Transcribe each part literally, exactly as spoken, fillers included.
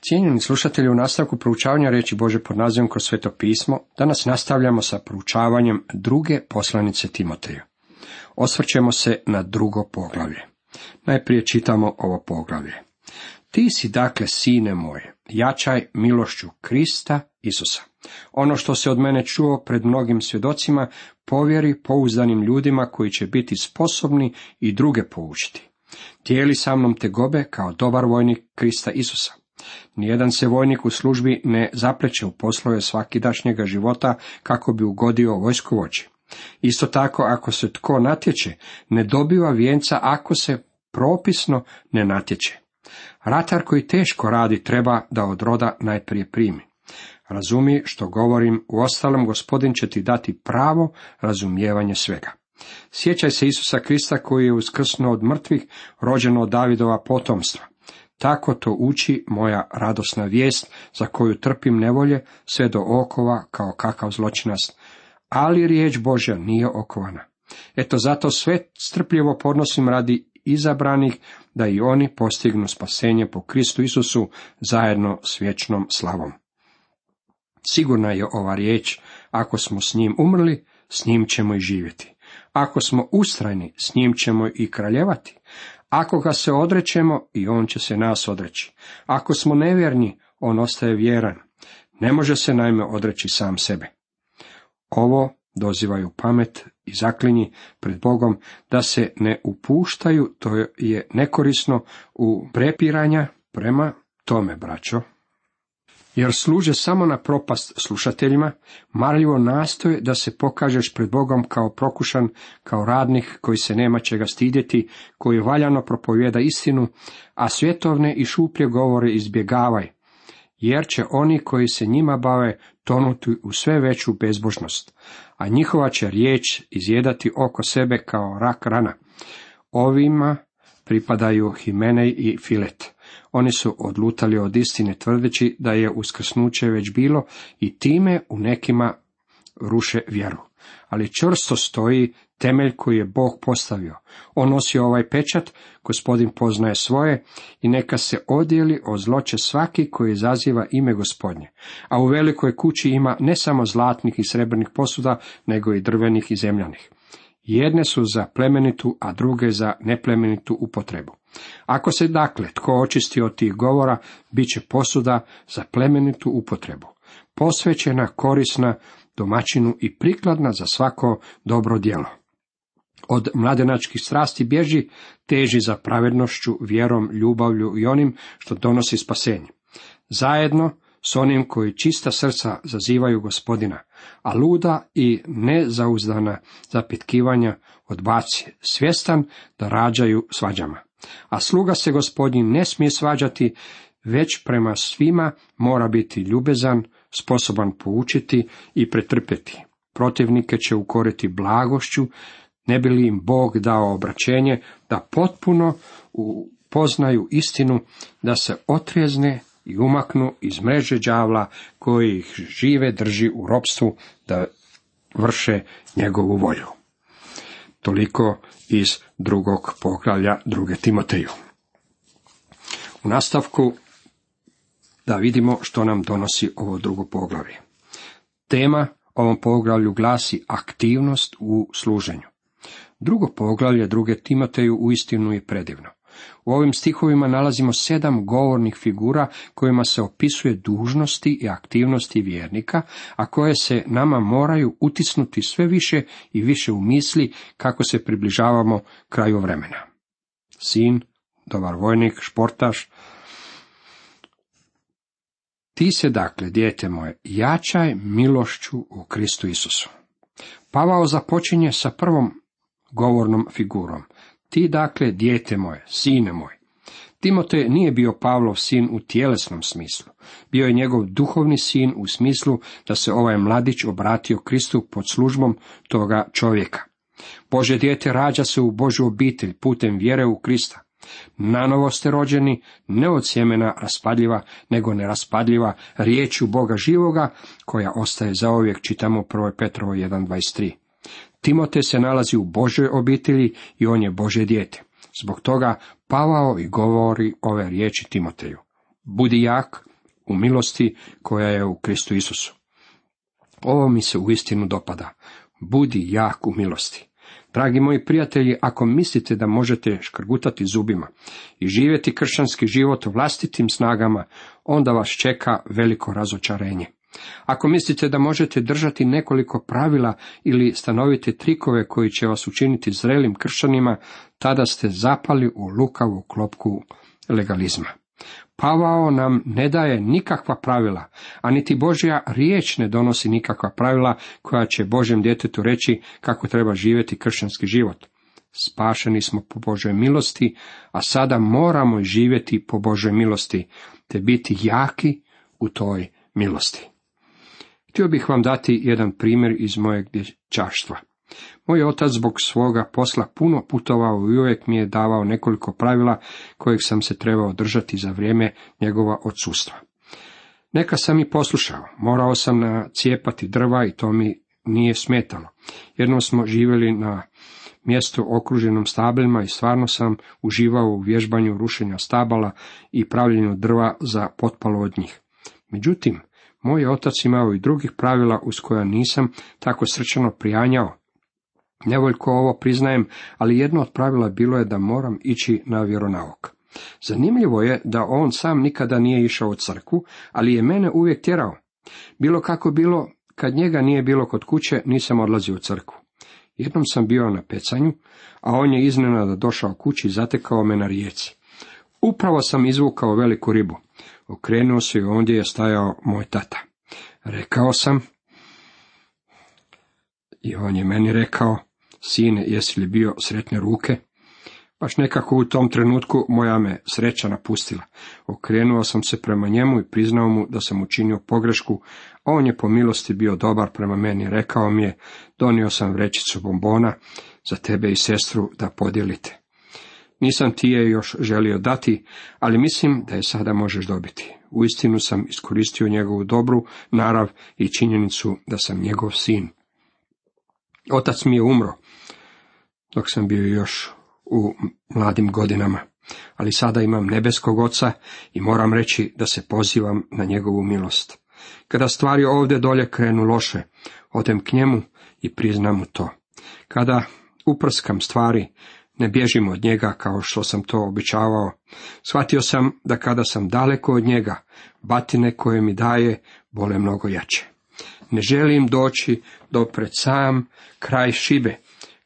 Cijenjeni slušatelji, u nastavku proučavanja riječi Božje pod nazivom Kroz Sveto pismo, danas nastavljamo sa proučavanjem druge poslanice Timoteju. Osvrćemo se na drugo poglavlje. Najprije čitamo ovo poglavlje. Ti si dakle, sine moje, jačaj milošću Krista Isusa. Ono što se od mene čuo pred mnogim svjedocima, povjeri pouzdanim ljudima koji će biti sposobni i druge poučiti. Dijeli sa mnom tegobe kao dobar vojnik Krista Isusa. Nijedan se vojnik u službi ne zapleće u poslove svakidašnjega života kako bi ugodio vojskovođi. Isto tako, ako se tko natječe, ne dobiva vijenca ako se propisno ne natječe. Ratar koji teško radi treba da od roda najprije primi. Razumi što govorim, uostalom Gospodin će ti dati pravo razumijevanje svega. Sjećaj se Isusa Krista koji je uskrsnuo od mrtvih, rođen od Davidova potomstva. Tako to uči moja radosna vijest, za koju trpim nevolje, sve do okova kao kakav zločinac. Ali riječ Božja nije okovana. Eto zato sve strpljivo podnosim radi izabranih, da i oni postignu spasenje po Kristu Isusu zajedno s vječnom slavom. Sigurna je ova riječ, ako smo s njim umrli, s njim ćemo i živjeti. Ako smo ustrajni, s njim ćemo i kraljevati. Ako ga se odrećemo, i on će se nas odreći. Ako smo nevjerni, on ostaje vjeran. Ne može se naime odreći sam sebe. Ovo dozivaju pamet i zaklinji pred Bogom da se ne upuštaju, to je nekorisno u prepiranja prema tome, braćo. Jer služe samo na propast slušateljima, marljivo nastoje da se pokažeš pred Bogom kao prokušan, kao radnik koji se nema čega stidjeti, koji valjano propovjeda istinu, a svjetovne i šuplje govore izbjegavaj, jer će oni koji se njima bave tonuti u sve veću bezbožnost, a njihova će riječ izjedati oko sebe kao rak rana. Ovima pripadaju Himenej i Filet. Oni su odlutali od istine tvrdeći da je uskrsnuće već bilo i time u nekima ruše vjeru. Ali čvrsto stoji temelj koji je Bog postavio. On nosi ovaj pečat, Gospodin poznaje svoje i neka se odijeli od zloće svaki koji izaziva ime Gospodnje. A u velikoj kući ima ne samo zlatnih i srebrnih posuda, nego i drvenih i zemljanih. Jedne su za plemenitu, a druge za neplemenitu upotrebu. Ako se dakle tko očisti od tih govora, bit će posuda za plemenitu upotrebu, posvećena, korisna domaćinu i prikladna za svako dobro djelo. Od mladenačkih strasti bježi, teži za pravednošću, vjerom, ljubavlju i onim što donosi spasenje. Zajedno s onim koji čista srca zazivaju Gospodina, a luda i nezauzdana zapitkivanja odbaci, svjestan da rađaju svađama. A sluga se Gospodin ne smije svađati, već prema svima mora biti ljubezan, sposoban poučiti i pretrpjeti. Protivnike će ukoriti blagošću, ne bi li im Bog dao obraćenje, da potpuno upoznaju istinu, da se otrijezne i umaknu iz mreže đavla koji ih žive drži u ropstvu, da vrše njegovu volju. Toliko iz drugog poglavlja druge Timoteju. U nastavku da vidimo što nam donosi ovo drugo poglavlje. Tema ovom poglavlju glasi aktivnost u služenju. Drugo poglavlje druge Timoteju uistinu je predivno. U ovim stihovima nalazimo sedam govornih figura kojima se opisuje dužnosti i aktivnosti vjernika, a koje se nama moraju utisnuti sve više i više u misli kako se približavamo kraju vremena. Sin, dobar vojnik, športaš. Ti se dakle, dijete moje, jačaj milošću u Kristu Isusu. Pavao započinje sa prvom govornom figurom. Ti dakle, dijete moje, sine moj. Timotej nije bio Pavlov sin u tjelesnom smislu. Bio je njegov duhovni sin u smislu da se ovaj mladić obratio Kristu pod službom toga čovjeka. Božje dijete rađa se u Božju obitelj putem vjere u Krista. Nanovo ste rođeni, ne od sjemena raspadljiva, nego neraspadljiva riječju Boga živoga, koja ostaje zauvijek, čitamo u prvoj Petrovoj jedan dvadeset tri. Timotej se nalazi u Božjoj obitelji i on je Božje dijete. Zbog toga Pavao i govori ove riječi Timoteju. Budi jak u milosti koja je u Kristu Isusu. Ovo mi se uistinu dopada. Budi jak u milosti. Dragi moji prijatelji, ako mislite da možete škrgutati zubima i živjeti kršćanski život vlastitim snagama, onda vas čeka veliko razočarenje. Ako mislite da možete držati nekoliko pravila ili stanovite trikove koji će vas učiniti zrelim kršćanima, tada ste zapali u lukavu klopku legalizma. Pavao nam ne daje nikakva pravila, a niti Božja riječ ne donosi nikakva pravila koja će Božjem djetetu reći kako treba živjeti kršćanski život. Spašeni smo po Božoj milosti, a sada moramo živjeti po Božoj milosti, te biti jaki u toj milosti. Htio bih vam dati jedan primjer iz mojeg dječaštva. Moj otac zbog svoga posla puno putovao i uvijek mi je davao nekoliko pravila kojeg sam se trebao držati za vrijeme njegova odsustva. Neka sam i poslušao, morao sam nacijepati drva i to mi nije smetalo. Jednom smo živjeli na mjestu okruženom stablima i stvarno sam uživao u vježbanju rušenja stabala i pravljenju drva za potpalu od njih. Međutim, moj otac imao i drugih pravila uz koja nisam tako srčano prijanjao. Nevoljko ovo priznajem, ali jedno od pravila bilo je da moram ići na vjeronauk. Zanimljivo je da on sam nikada nije išao u crkvu, ali je mene uvijek tjerao. Bilo kako bilo, kad njega nije bilo kod kuće, nisam odlazio u crkvu. Jednom sam bio na pecanju, a on je iznenada došao kući i zatekao me na rijeci. Upravo sam izvukao veliku ribu. Okrenuo se i ondje je stajao moj tata. Rekao sam, i on je meni rekao, sine, jesi li bio sretne ruke? Baš nekako u tom trenutku moja me sreća napustila. Okrenuo sam se prema njemu i priznao mu da sam učinio pogrešku, a on je po milosti bio dobar prema meni. Rekao mi je, donio sam vrećicu bombona za tebe i sestru da podijelite. Nisam ti je još želio dati, ali mislim da je sada možeš dobiti. Uistinu sam iskoristio njegovu dobru narav i činjenicu da sam njegov sin. Otac mi je umro dok sam bio još u mladim godinama, ali sada imam nebeskog oca i moram reći da se pozivam na njegovu milost. Kada stvari ovdje dolje krenu loše, odem k njemu i priznam mu to. Kada uprskam stvari, ne bježim od njega kao što sam to običavao. Shvatio sam da kada sam daleko od njega, batine koje mi daje bole mnogo jače. Ne želim doći do pred sam kraj šibe,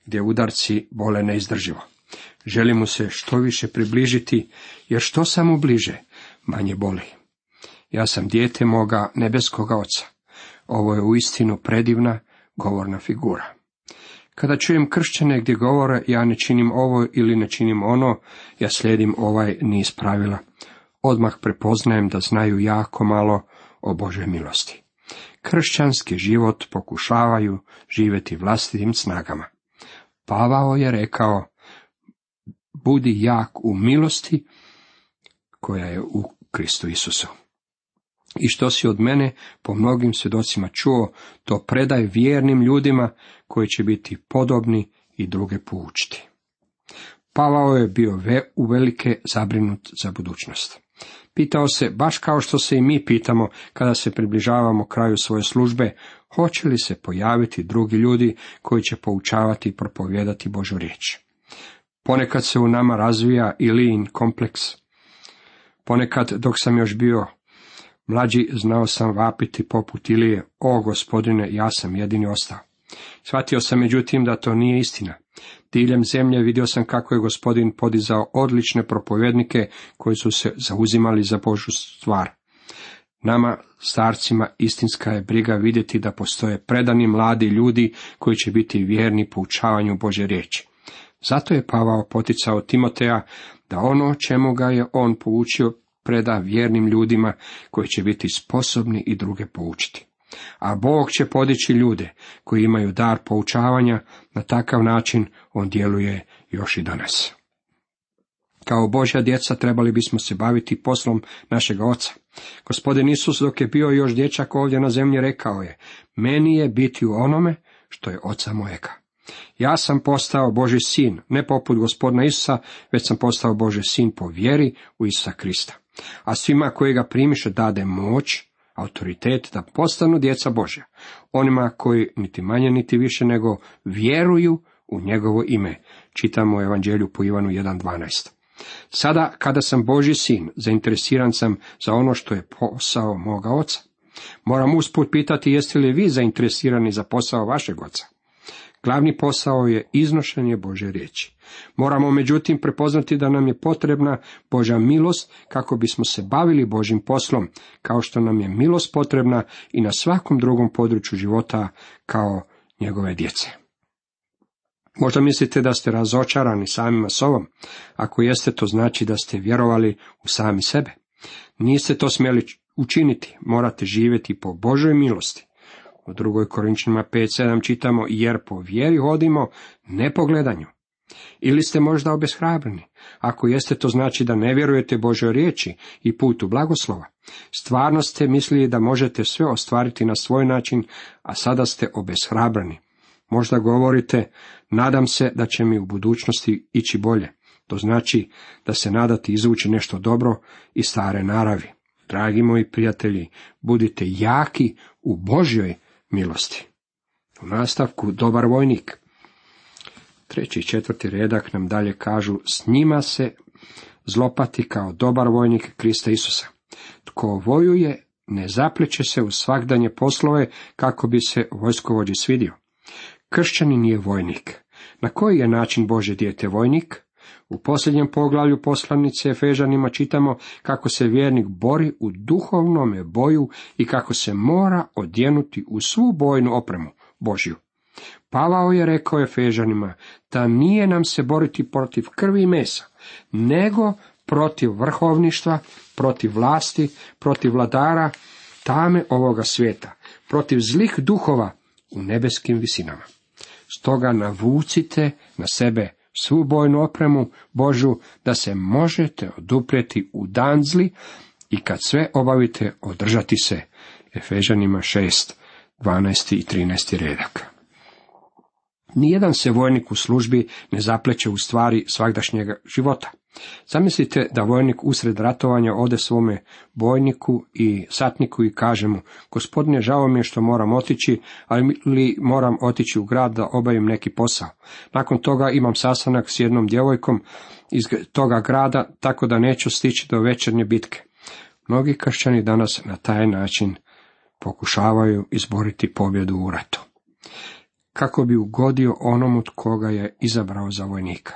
gdje udarci bole neizdrživo. Želim mu se što više približiti, jer što sam mu bliže, manje boli. Ja sam dijete moga nebeskoga oca. Ovo je uistinu predivna govorna figura. Kada čujem kršćane gdje govore ja ne činim ovo ili ne činim ono, ja slijedim ovaj niz pravila. Odmah prepoznajem da znaju jako malo o Božoj milosti. Kršćanski život pokušavaju živjeti vlastitim snagama. Pavao je rekao, budi jak u milosti koja je u Kristu Isusu. I što si od mene po mnogim svjedocima čuo, to predaj vjernim ljudima koji će biti podobni i druge poučiti. Pavao je bio ve, uvelike zabrinut za budućnost. Pitao se, baš kao što se i mi pitamo kada se približavamo kraju svoje službe, hoće li se pojaviti drugi ljudi koji će poučavati i propovijedati Božju riječ. Ponekad se u nama razvija Ilijin kompleks. Ponekad, dok sam još bio mlađi, znao sam vapiti poput Ilije, o Gospodine, ja sam jedini ostao. Shvatio sam međutim da to nije istina. Diljem zemlje vidio sam kako je Gospodin podizao odlične propovjednike koji su se zauzimali za Božju stvar. Nama, starcima, istinska je briga vidjeti da postoje predani mladi ljudi koji će biti vjerni poučavanju Božje riječi. Zato je Pavao poticao Timoteja da ono čemu ga je on poučio preda vjernim ljudima koji će biti sposobni i druge poučiti. A Bog će podići ljude koji imaju dar poučavanja, na takav način on djeluje još i danas. Kao Božja djeca trebali bismo se baviti poslom našega Oca. Gospodin Isus dok je bio još dječak ovdje na zemlji rekao je, meni je biti u onome što je Oca mojega. Ja sam postao Božji sin, ne poput Gospodina Isusa, već sam postao Božji sin po vjeri u Isusa Krista. A svima koji ga primiše dade moć, autoritet da postanu djeca Božja, onima koji niti manje niti više nego vjeruju u njegovo ime. Čitamo u Evanđelju po Ivanu jedan dvanaest. Sada, kada sam Božji sin, zainteresiran sam za ono što je posao moga oca. Moram usput pitati, jeste li vi zainteresirani za posao vašeg oca? Glavni posao je iznošenje Božje riječi. Moramo međutim prepoznati da nam je potrebna Božja milost kako bismo se bavili Božjim poslom, kao što nam je milost potrebna i na svakom drugom području života kao njegove djece. Možda mislite da ste razočarani samima sobom. Ako jeste, to znači da ste vjerovali u sami sebe. Niste to smjeli učiniti, morate živjeti po Božoj milosti. U drugoj Korinčanima pet sedam čitamo, jer po vjeri hodimo, ne po gledanju. Ili ste možda obeshrabreni? Ako jeste, to znači da ne vjerujete Božoj riječi i putu blagoslova. Stvarno ste mislili da možete sve ostvariti na svoj način, a sada ste obeshrabreni. Možda govorite, nadam se da će mi u budućnosti ići bolje. To znači da se nadate izvući nešto dobro iz stare naravi. Dragi moji prijatelji, budite jaki u Božjoj milosti. U nastavku, dobar vojnik. Treći i četvrti redak nam dalje kažu, s njima se zlopati kao dobar vojnik Krista Isusa. Tko vojuje, ne zapleće se u svagdanje poslove kako bi se vojskovođi svidio. Kršćanin je vojnik. Na koji je način Božje dijete vojnik? U posljednjem poglavlju poslanice Efežanima čitamo kako se vjernik bori u duhovnome boju i kako se mora odjenuti u svu bojnu opremu Božju. Pavao je rekao Efežanima da nije nam se boriti protiv krvi i mesa, nego protiv vrhovništva, protiv vlasti, protiv vladara tame ovoga svijeta, protiv zlih duhova u nebeskim visinama. Stoga navucite na sebe svu bojnu opremu Božju, da se možete oduprijeti u dan zli i kad sve obavite održati se. Efežanima šest, dvanaest i trinaest redak. Nijedan se vojnik u službi ne zapleće u stvari svagdašnjega života. Zamislite da vojnik usred ratovanja ode svome bojniku i satniku i kaže mu, gospodine, žao mi je što moram otići, ali moram otići u grad da obavim neki posao. Nakon toga imam sastanak s jednom djevojkom iz toga grada, tako da neću stići do večernje bitke. Mnogi kršćani danas na taj način pokušavaju izboriti pobjedu u ratu, kako bi ugodio onomu koga je izabrao za vojnika.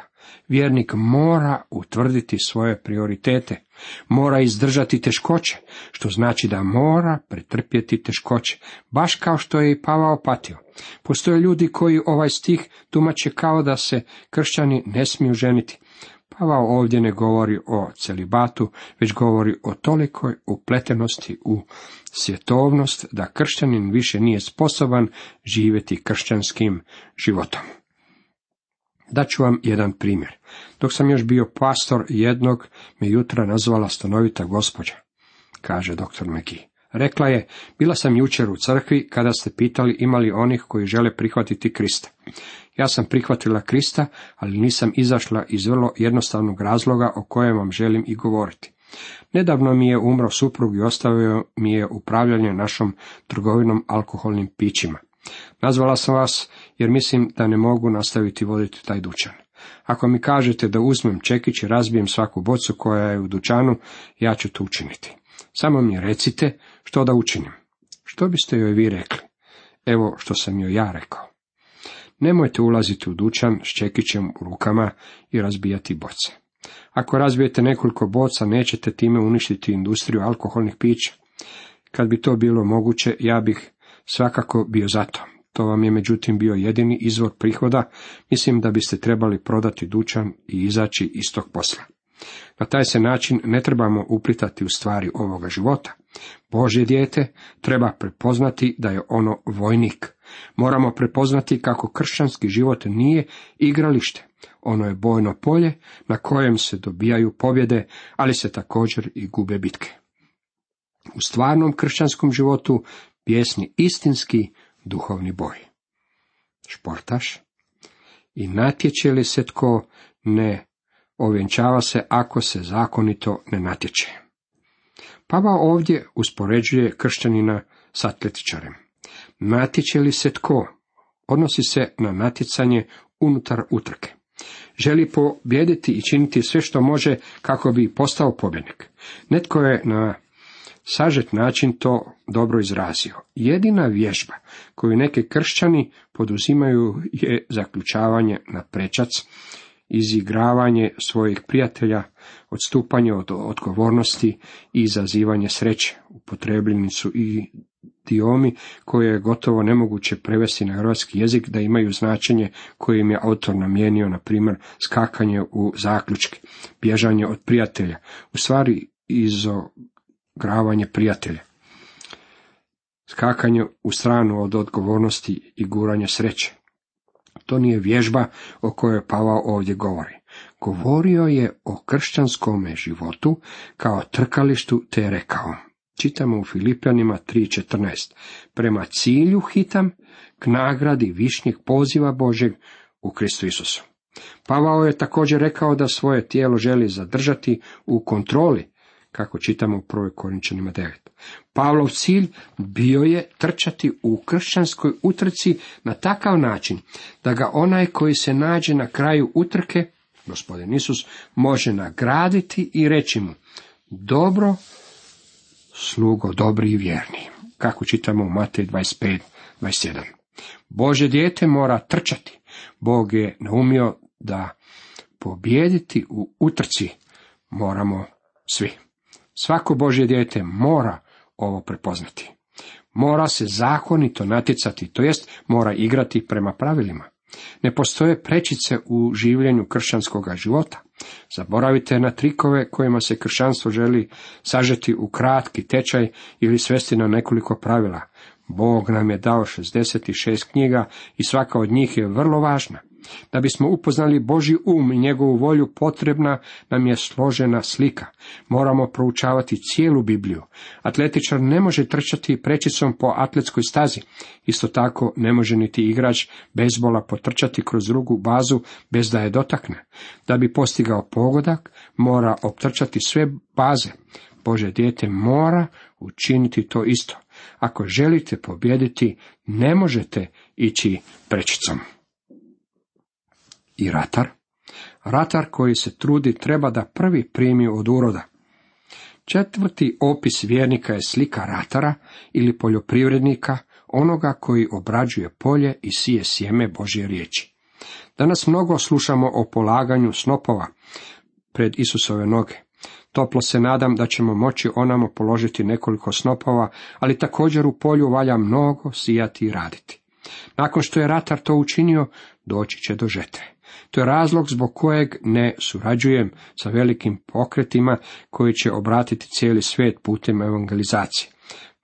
Vjernik mora utvrditi svoje prioritete, mora izdržati teškoće, što znači da mora pretrpjeti teškoće, baš kao što je i Pavao patio. Postoje ljudi koji ovaj stih tumače kao da se kršćani ne smiju ženiti. Pavao ovdje ne govori o celibatu, već govori o tolikoj upletenosti u svjetovnost da kršćanin više nije sposoban živjeti kršćanskim životom. Daću vam jedan primjer. Dok sam još bio pastor, jednog me jutra nazvala stanovita gospođa, kaže doktor McGee. Rekla je, bila sam jučer u crkvi kada ste pitali ima li onih koji žele prihvatiti Krista. Ja sam prihvatila Krista, ali nisam izašla iz vrlo jednostavnog razloga o kojem vam želim i govoriti. Nedavno mi je umro suprug i ostavio mi je upravljanje našom trgovinom alkoholnim pićima. Nazvala sam vas jer mislim da ne mogu nastaviti voditi taj dućan. Ako mi kažete da uzmem čekić i razbijem svaku bocu koja je u dućanu, ja ću to učiniti. Samo mi recite što da učinim. Što biste joj vi rekli? Evo što sam joj ja rekao. Nemojte ulaziti u dućan s čekićem u rukama i razbijati boce. Ako razbijete nekoliko boca, nećete time uništiti industriju alkoholnih pića. Kad bi to bilo moguće, ja bih svakako bio za to. To vam je međutim bio jedini izvor prihoda, mislim da biste trebali prodati dućan i izaći iz tog posla. Na taj se način ne trebamo uplitati u stvari ovoga života. Božje dijete treba prepoznati da je ono vojnik. Moramo prepoznati kako kršćanski život nije igralište. Ono je bojno polje na kojem se dobijaju pobjede, ali se također i gube bitke. U stvarnom kršćanskom životu pjesni istinski duhovni boj. Športaš. I natječe li se tko, ne ovjenčava se ako se zakonito ne natječe. Pavao ovdje uspoređuje kršćanina s atletičarem. Natječe li se tko? Odnosi se na natjecanje unutar utrke. Želi pobijediti i činiti sve što može kako bi postao pobjednik. Netko je na sažet način to dobro izrazio. Jedina vježba koju neke kršćani poduzimaju je zaključavanje na prečac, izigravanje svojih prijatelja, odstupanje od odgovornosti i izazivanje sreće. Upotrebljeni su i idiomi koje je gotovo nemoguće prevesti na hrvatski jezik da imaju značenje koje im je autor namijenio, na primjer skakanje u zaključke, bježanje od prijatelja, u stvari izigravanje prijatelja, skakanje u stranu od odgovornosti i guranje sreće. To nije vježba o kojoj Pavao ovdje govori. Govorio je o kršćanskome životu kao trkalištu, te je rekao. Čitamo u Filipljanima tri četrnaest. Prema cilju hitam, k nagradi višnjeg poziva Božeg u Kristu Isusu. Pavao je također rekao da svoje tijelo želi zadržati u kontroli, kako čitamo u prvoj Korinčanima devet. Pavlov cilj bio je trčati u kršćanskoj utrci na takav način da ga onaj koji se nađe na kraju utrke, Gospodin Isus, može nagraditi i reći mu: dobro, slugo dobri i vjerni, kako čitamo u Matej dvadeset pet dvadeset jedan. Božje dijete mora trčati. Bog je naumio da pobijediti u utrci moramo svi. Svako Božje dijete mora ovo prepoznati. Mora se zakonito natjecati, to jest mora igrati prema pravilima. Ne postoje prečice u življenju kršćanskoga života. Zaboravite na trikove kojima se kršćanstvo želi sažeti u kratki tečaj ili svesti na nekoliko pravila. Bog nam je dao šezdeset šest knjiga i svaka od njih je vrlo važna. Da bismo upoznali Božji um i njegovu volju, potrebna nam je složena slika. Moramo proučavati cijelu Bibliju. Atletičar ne može trčati prečicom po atletskoj stazi. Isto tako ne može niti igrač bejzbola potrčati kroz drugu bazu bez da je dotakne. Da bi postigao pogodak, mora optrčati sve baze. Božje dijete mora učiniti to isto. Ako želite pobijediti, ne možete ići prečicom. I ratar? Ratar koji se trudi treba da prvi primi od uroda. Četvrti opis vjernika je slika ratara ili poljoprivrednika, onoga koji obrađuje polje i sije sjeme Božje riječi. Danas mnogo slušamo o polaganju snopova pred Isusove noge. Toplo se nadam da ćemo moći onamo položiti nekoliko snopova, ali također u polju valja mnogo sijati i raditi. Nakon što je ratar to učinio, doći će do žetve. To je razlog zbog kojeg ne surađujem sa velikim pokretima koji će obratiti cijeli svijet putem evangelizacije.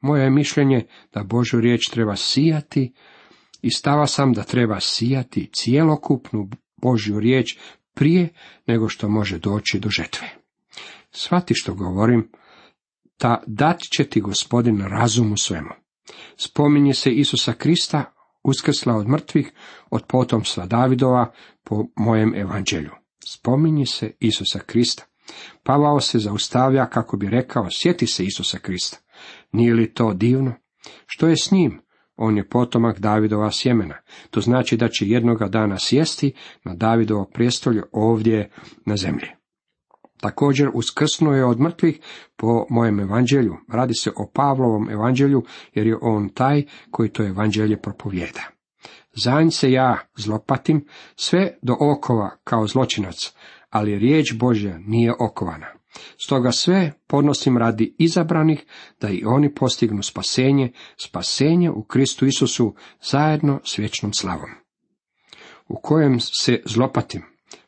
Moje je mišljenje da Božju riječ treba sijati i stava sam da treba sijati cijelokupnu Božju riječ prije nego što može doći do žetve. Shvati što govorim, ta dat će ti Gospodin razum u svemu. Spominje se Isusa Krista, uskrsla od mrtvih, od potomstva Davidova, po mojem evanđelju. Spominje se Isusa Krista. Pavao se zaustavlja kako bi rekao: sjeti se Isusa Krista. Nije li to divno? Što je s njim? On je potomak Davidova sjemena. To znači da će jednoga dana sjesti na Davidovo prijestolje ovdje na zemlji. Također uskrsnuo je od mrtvih po mojem evanđelju. Radi se o Pavlovom evanđelju, jer je on taj koji to evanđelje propovijeda. Zanj se ja zlopatim sve do okova kao zločinac, ali riječ Božja nije okovana. Stoga sve podnosim radi izabranih, da i oni postignu spasenje, spasenje u Kristu Isusu zajedno s vječnom slavom. U kojem se zlopatim?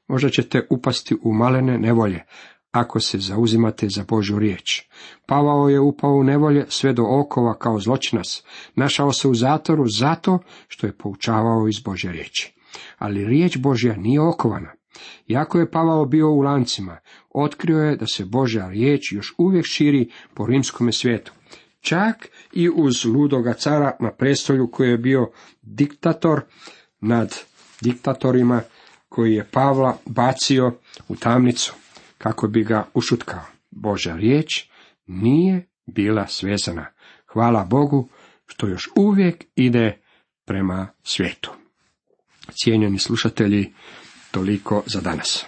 Možda ćete upasti u malene nevolje, ako se zauzimate za Božju riječ. Pavao je upao u nevolje sve do okova kao zločinac. Našao se u zatvoru zato što je poučavao iz Božje riječi. Ali riječ Božja nije okovana. Iako je Pavao bio u lancima, otkrio je da se Božja riječ još uvijek širi po rimskome svijetu. Čak i uz ludoga cara na prestolju koji je bio diktator nad diktatorima, koji je Pavla bacio u tamnicu kako bi ga ušutkao. Božja riječ nije bila svezana. Hvala Bogu što još uvijek ide prema svijetu. Cijenjeni slušatelji, toliko za danas.